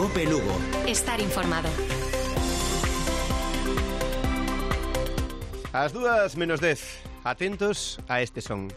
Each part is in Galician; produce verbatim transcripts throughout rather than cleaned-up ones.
Cope Lugo. Estar informado. As dúas menos dez. Atentos a este son.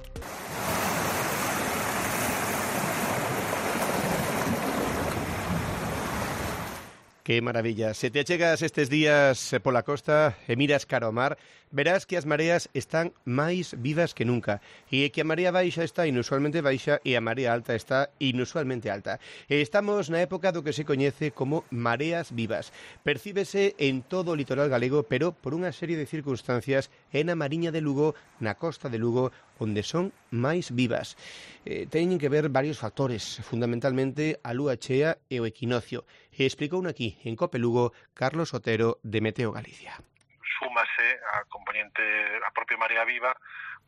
Que maravilla. Se te achegas estes días pola costa e miras cara ao mar, verás que as mareas están máis vivas que nunca e que a marea baixa está inusualmente baixa e a marea alta está inusualmente alta. E estamos na época do que se coñece como mareas vivas. Percíbese en todo o litoral galego, pero por unha serie de circunstancias é na Mariña de Lugo, na costa de Lugo, onde son máis vivas. Eh, teñen que ver varios factores, fundamentalmente a lúa chea e o equinoccio. E explicouno aquí, en Cope Lugo, Carlos Otero, de Meteo Galicia. Súmase a componente, a propia marea viva,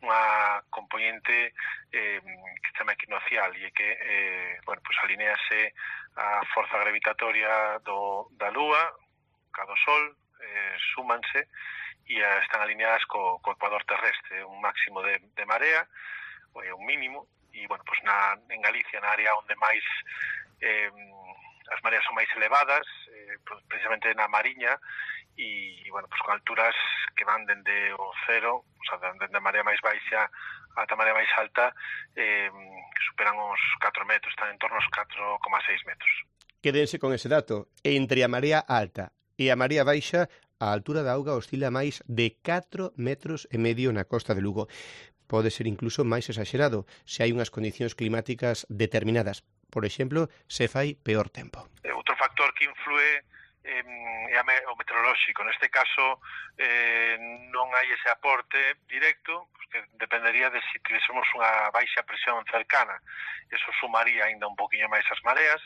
unha componente eh, que se chama equinocial e que, eh, bueno, pues alinease a forza gravitatoria do, da lúa, ca do sol, eh, súmanse e están alineadas co, co ecuador terrestre, un máximo de, de marea, ou un mínimo, e, bueno, pues na, en Galicia, na área onde máis eh, as mareas son máis elevadas, eh, precisamente na Mariña, e, bueno, pues con alturas que van dende o cero, o sea, dende a marea máis baixa ata a marea máis alta, eh, que superan os catro metros, están en torno aos catro coma seis metros. Quédense con ese dato. Entre a marea alta e a marea baixa, a altura da auga oscila máis de catro metros e medio na costa de Lugo. Pode ser incluso máis exagerado se hai unhas condicións climáticas determinadas. Por exemplo, se fai peor tempo. Outro factor que influe eh, é o meteorolóxico. Neste caso, eh, non hai ese aporte directo, que dependería de se si tivésemos unha baixa presión cercana. Eso sumaría ainda un poquinho máis as mareas,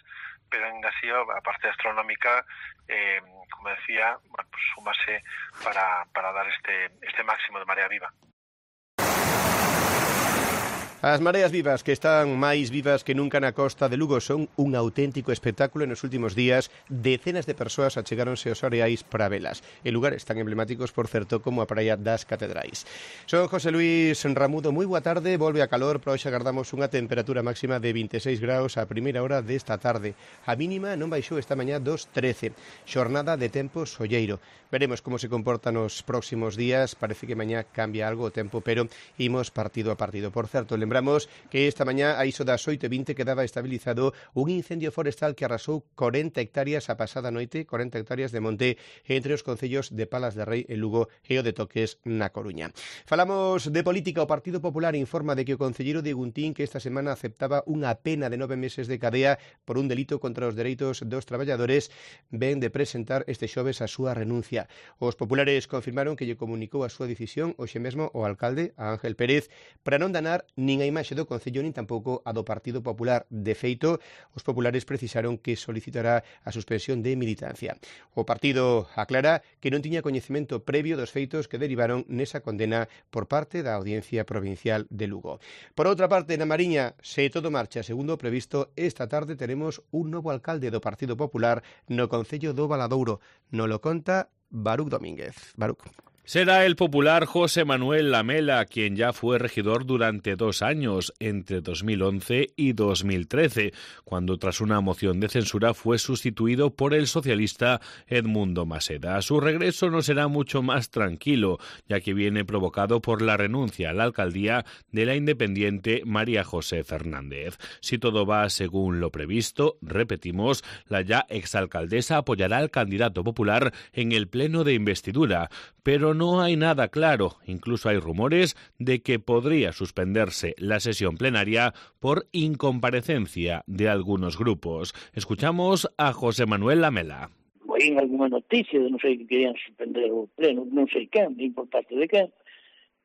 pero ainda así a parte astronómica, eh, como decía, bueno, pues súmase para, para dar este, este máximo de marea viva. As mareas vivas, que están máis vivas que nunca na costa de Lugo, son un auténtico espectáculo. En os últimos días, decenas de persoas achegáronse aos areais para velas. En lugares tan emblemáticos, por certo, como a Praia das Catedrais. Son José Luis Ramudo, moi boa tarde, volve a calor, pero hoxe agardamos unha temperatura máxima de vinte e seis graus a primeira hora desta tarde. A mínima non baixou esta mañá dos trece. Xornada de tempo solleiro. Veremos como se comporta nos próximos días. Parece que mañá cambia algo o tempo, pero imos partido a partido. Por certo, lembramos que esta mañá a iso das oito e vinte quedaba estabilizado un incendio forestal que arrasou corenta hectáreas a pasada noite, corenta hectáreas de monte entre os concellos de Palas de Rei e Lugo e o de Toques na Coruña. Falamos de política. O Partido Popular informa de que o concelleiro de Guntín, que esta semana aceptaba unha pena de nove meses de cadea por un delito contra os dereitos dos traballadores, ven de presentar este xoves a súa renuncia. Os populares confirmaron que lle comunicou a súa decisión hoxe mesmo o alcalde, a Ángel Pérez, para non danar nin a imaxe do Concello nin tampouco a do Partido Popular. De feito, os populares precisaron que solicitará a suspensión de militancia. O partido aclara que non tiña coñecemento previo dos feitos que derivaron nesa condena por parte da Audiencia Provincial de Lugo. Por outra parte, na Mariña, se todo marcha segundo o previsto, esta tarde teremos un novo alcalde do Partido Popular no Concello do Valadouro. No lo conta Baruc Domínguez. Baruc. Será el popular José Manuel Lamela, quien ya fue regidor durante dos años, entre dos mil once y dos mil trece, cuando tras una moción de censura fue sustituido por el socialista Edmundo Maseda. Su regreso no será mucho más tranquilo, ya que viene provocado por la renuncia a la alcaldía de la independiente María José Fernández. Si todo va según lo previsto, repetimos, la ya exalcaldesa apoyará al candidato popular en el pleno de investidura, pero no hay nada claro. Incluso hay rumores de que podría suspenderse la sesión plenaria por incomparecencia de algunos grupos. Escuchamos a José Manuel Lamela. Hay alguna noticia de non sei que querían suspender o pleno, non sei quen, nin por parte de quen,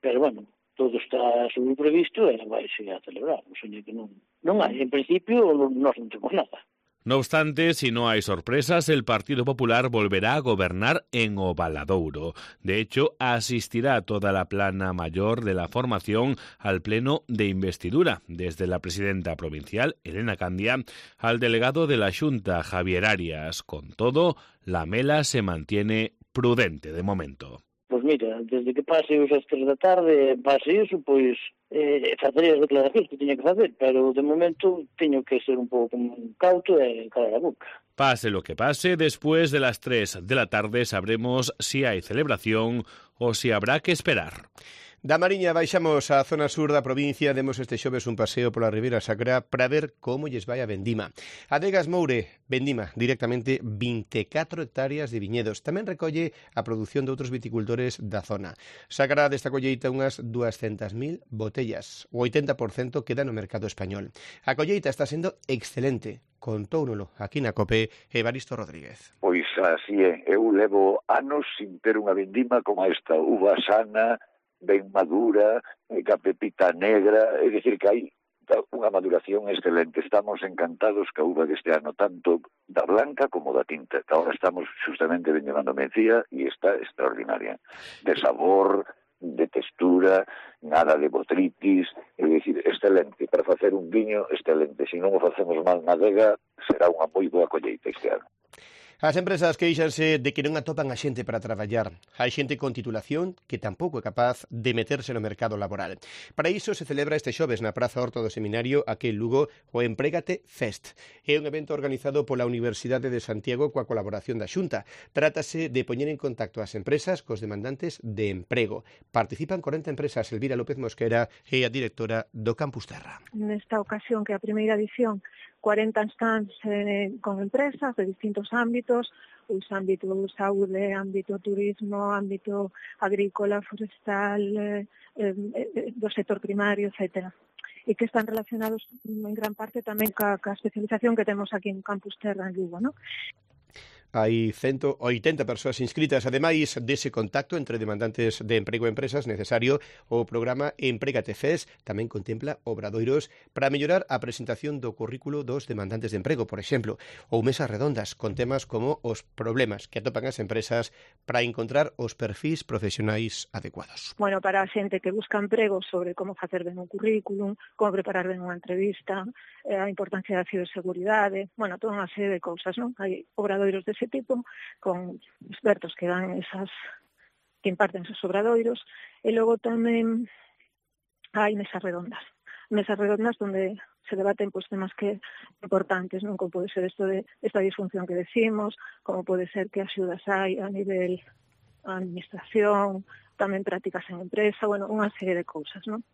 pero bueno, todo está sobre previsto e vai seguir a celebrar. O sea, que non, non hai, en principio, non, non temos nada. No obstante, si no hay sorpresas, el Partido Popular volverá a gobernar en O Valadouro. De hecho, asistirá toda la plana mayor de la formación al pleno de investidura, desde la presidenta provincial, Elena Candia, al delegado de la Xunta, Javier Arias. Con todo, Lamela se mantiene prudente de momento. Pues mira, desde que pase os as tres da tarde, pase iso, pois eh, facería as declaracións que tiña que facer, pero de momento teño que ser un pouco cauto e calar a boca. Pase lo que pase, después de las tres de la tarde sabremos si hay celebración o si habrá que esperar. Da Mariña baixamos á zona sur da provincia, demos este xoves un paseo pola Ribeira Sacra para ver como lles vai a vendima. Adegas Moure, vendima directamente vinte e catro hectáreas de viñedos. Tamén recolle a produción de outros viticultores da zona. Sacará desta colleita unhas duascentas mil botellas. O oitenta por cento queda no mercado español. A colleita está sendo excelente. Contóunolo aquí na COPE Evaristo Rodríguez. Pois así é, eu levo anos sin ter unha vendima como esta, uva sana, ben madura, ca pepita negra, é dicir que hai unha maduración excelente. Estamos encantados ca uva deste ano, tanto da blanca como da tinta. Ahora estamos justamente vendemando mencía e está extraordinaria. De sabor, de textura, nada de botritis, é dicir, excelente. Para facer un viño, excelente. Se non o facemos mal na adega, será unha moi boa colleita este ano. As empresas queixanse de que non atopan a xente para traballar. Hai xente con titulación que tampouco é capaz de meterse no mercado laboral. Para iso se celebra este xoves na Praza Horta do Seminario aquí en Lugo o Emprégate Fest. É un evento organizado pola Universidade de Santiago coa colaboración da Xunta. Trátase de poñer en contacto as empresas cos demandantes de emprego. Participan corenta empresas. Elvira López Mosquera é a directora do Campus Terra. Nesta ocasión, que é a primeira edición, cuarenta stands eh, con empresas de distintos ámbitos, os ámbitos saúde, ámbito turismo, ámbito agrícola, forestal, eh, eh, do sector primario, etcétera. E que están relacionados en gran parte tamén ca, ca especialización que temos aquí en Campus Terra en Lugo, ¿no? Hai ciento oitenta persoas inscritas. Ademais dese contacto entre demandantes de emprego e empresas necesario, o programa Emprégate Fest tamén contempla obradoiros para mellorar a presentación do currículo dos demandantes de emprego, por exemplo, ou mesas redondas con temas como os problemas que atopan as empresas para encontrar os perfis profesionais adecuados. Bueno, para a xente que busca emprego, sobre como facer ben un currículum, como preparar ben unha entrevista, eh, a importancia da ciberseguridade, bueno, toda unha serie de cousas, non? Hai obradoiros dese tipo, con expertos que dan esas, que imparten esos obradoiros, e logo tamén hai mesas redondas. Mesas redondas donde se debaten pues, temas que importantes, non? Como pode ser isto de esta disfunción que decimos, como pode ser que axudas hai a nivel a administración, tamén prácticas en empresa, bueno, unha serie de cousas, non?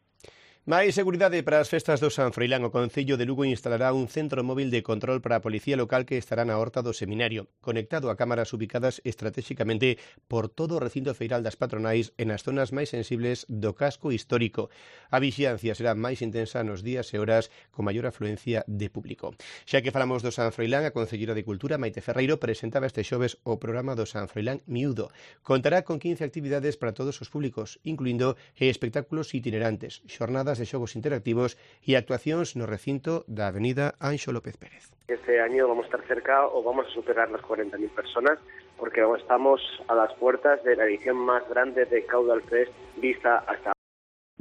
Máis seguridade para as festas do San Froilán. O Concello de Lugo instalará un centro móvil de control para a Policía Local que estará na Horta do Seminario, conectado a cámaras ubicadas estratégicamente por todo o recinto feiral das patronais e nas zonas máis sensibles do casco histórico. A vixiancia será máis intensa nos días e horas con maior afluencia de público. Xa que falamos do San Froilán, a Concellera de Cultura, Maite Ferreiro, presentaba este xoves o programa do San Froilán Miúdo. Contará con quince actividades para todos os públicos, incluindo espectáculos itinerantes, xornadas de xogos interactivos e actuacións no recinto da Avenida Anxo López Pérez. Este año vamos a estar cerca o vamos a superar las cuarenta mil personas porque estamos a las puertas de la edición más grande de Caudal Fest vista hasta.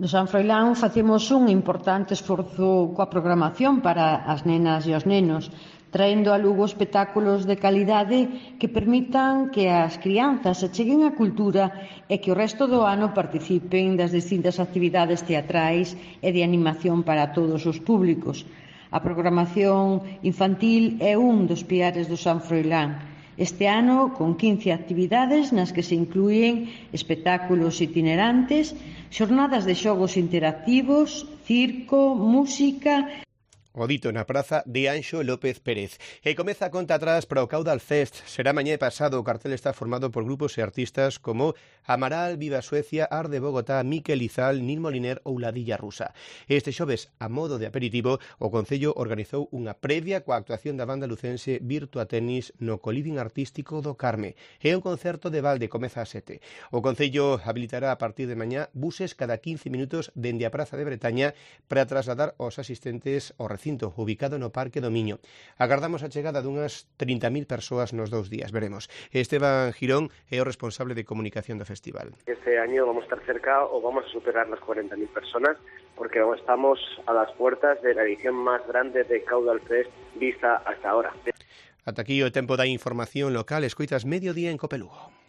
No San Froilán facemos un importante esforzo coa programación para as nenas e os nenos, traendo a Lugo espectáculos de calidade que permitan que as crianzas se cheguen á cultura e que o resto do ano participen das distintas actividades teatrais e de animación para todos os públicos. A programación infantil é un dos piares do San Froilán. Este ano, con quince actividades nas que se incluyen espectáculos itinerantes, xornadas de xogos interactivos, circo, música. O dito na praza de Anxo López Pérez. E comeza a conta atrás para o Caudal Fest. Será mañá e pasado. O cartel está formado por grupos e artistas como Amaral, Viva Suecia, Ar de Bogotá, Miquel Izal, Nil Moliner ou Ladilla Rusa. Este xoves, a modo de aperitivo, o Concello organizou unha previa coa actuación da banda lucense Virtua Tenis no Coliving Artístico do Carme. É un concerto de balde, comeza a sete. O Concello habilitará a partir de mañá buses cada quince minutos dende a Praza de Bretaña para trasladar aos asistentes ao recinto ubicado no Parque do Miño. Agardamos a chegada dunhas trinta mil persoas nos dous días, veremos. Esteban Girón é o responsable de comunicación do festival. Este año vamos a estar cerca o vamos a superar las cuarenta mil personas porque estamos a las puertas de la edición más grande de Caudal Fest vista hasta ahora. Ata aquí o tempo da información local. Escoitas Mediodía en Cope Lugo.